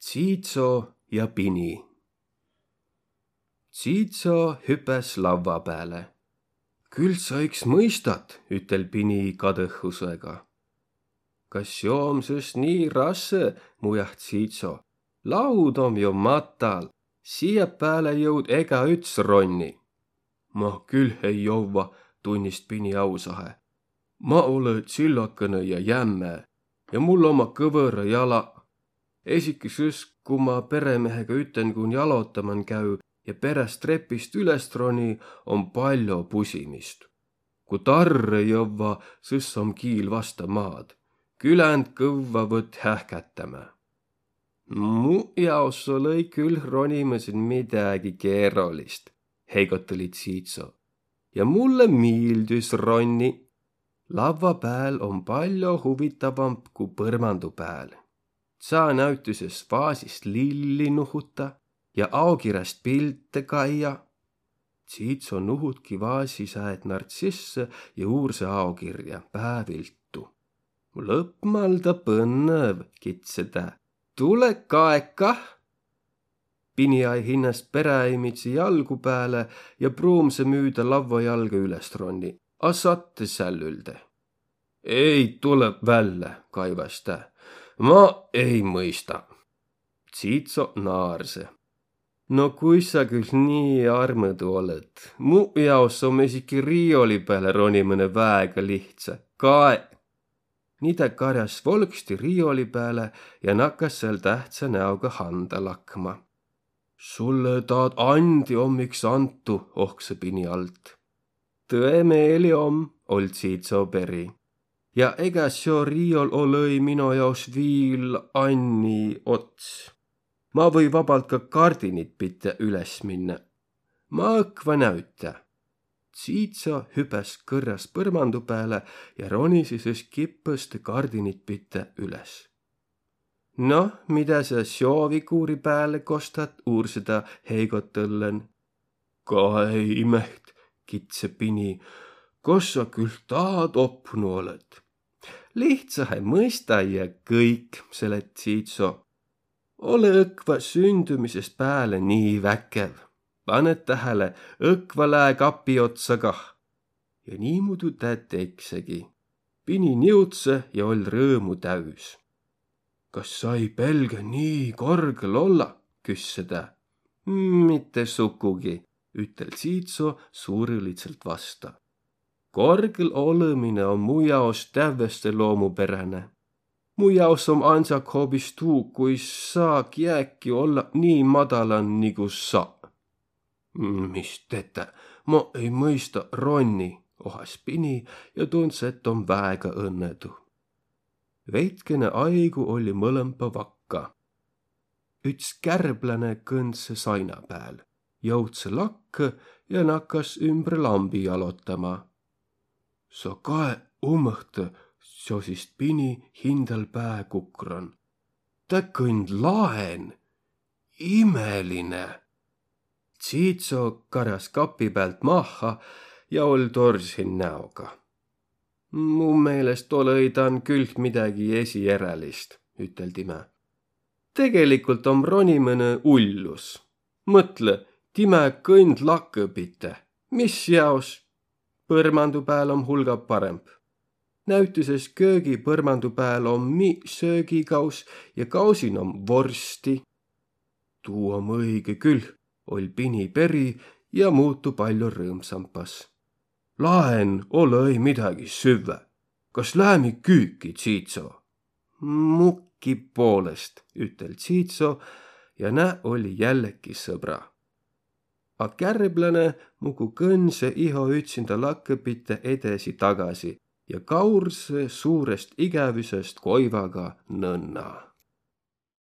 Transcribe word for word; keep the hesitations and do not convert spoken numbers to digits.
Tsiitso ja pini. Tsiitso hüpäs lavva pääle. Kül sa iks mõistat, ütel pini kadõhusega. Kas seo om sõs nii rassõ, mujah Tsiitso. Laud om jo matal, siia pääle jõud egaüts ronni. Ma külh ei jovva, tunnist pini ausahe. Ma olõ tsillakõnõ ja jämme ja mul omma kõvõra jala. Esiki sõs, ku ma peremehega ütenkuun jalotaman käü ja peräst trepist üles roni, om pallo pusimist. Ku tarrõ jovva, sõs om kiil vasta maad. Külän kõvva võt hähkätämä. Mu jaos olõ-i külh ronimõsin midägi keerolist, heigotõli Tsiitso. Ja mullõ miildüs ronni. Lavva pääl om pallo huvitavamp ku põrmandu pääl. Saa näütüses vaasist lilli nuhuta ja aokiräst pilte kaia. Tsiitso nuhutki vaasi sääd nartsissõ ja uursõ aokirja pääviltu. Lõpmalda põnnõv, kidse tä. Tule kae kah! Pini ai hinnäst peräimidsi jalgu pääle ja pruumsõ müüdä lavva jalga üles ronni, a sattõ sällüldä. Ei tulõ vällä, kaivas tä. Ma ei mõista. Tsiitso naarsõ. No kuis sa külh nii armõdu olõt? Mu jaos om esiki riioli pääle ronimine väega lihtsä. Kae! Nii tä karjas volgsti riioli pääle ja nakas sääl tähtsä näoga handa lakma. Sullõ taad andi om iks antu, ohksõ pini alt. Tõe meeli om, oll Tsiitso peri. Ja ega seo riiol olõ-i mino jaos viil anni ots. Ma või vabalt ka kardinit pite üles minnä. Ma õkva näütä. Tsiitso hüpäs kõrras põrmandu pääle ja ronisi sõs kipõst kardinit pite üles. No, midä sa seo viguuri pääle kostat, uursõ tä heigotõllen. Kae imeht, kidse pini, kos sa külh taad opnu olõt? Lihtsahe mõista ja kõik, selet Tsiitso. Olõ õkva sündümisest pääle nii väkev. Panet tähele, õkva lää kapi otsa kah. Ja niimuudu tä teksegi. Pini niutsõ ja oll rõõmu täüs. Kas sa ei pelgä nii korgõl olla? Küsse tä. Mitte sukugi, ütel Tsiitso suurõlidsõlt vasta. Korgõl olõmine om mu jaos tävveste loomuperäne. Mu jaos om andsak hoobis tuu, kuis saa kiäki olla nii madalan nigu sa. Mis tetä, ma ei mõista ronni, ohas pini ja tundsõ, et om väega õnnõdu. Veidkene aigu olli mõlõmpa vakka. Üts kärbläne kõndsõ saina pääl, jõudsõ lakkõ ja nakas ümbre lambi jalotama. Sa kae umõhtõ, sosist pini hindäl pää kukran. Tä kõnd laen. Imeline! Tsiitso karas kapi päält mahha ja oll dorsin näoga. Mu meelest olõ-i dan külh midägi esierälist, ütel timä. Tegeligult om ronimine ullus. Mõtlõ, timä kõnd lakõ pite. Mis jaos? Põrmandu pääl om hulga paremb. Näütüses köögi põrmandu pääl om mi söögigaus ja gausin om vorsti. Tuu om õige külh, oll pini peri ja muutu pallo rõõmsampas. Laen olõ-i midägi süvvä. Kas läämi küüki, Tsiitso? Mukki poolest, ütel Tsiitso ja nä olli jälleki sõbra. A kärbläne mugu kõndsõ iho ütsinda lakõ pite edesi-tagasi ja gaursõ suurest igävüsest goivaga nõnna.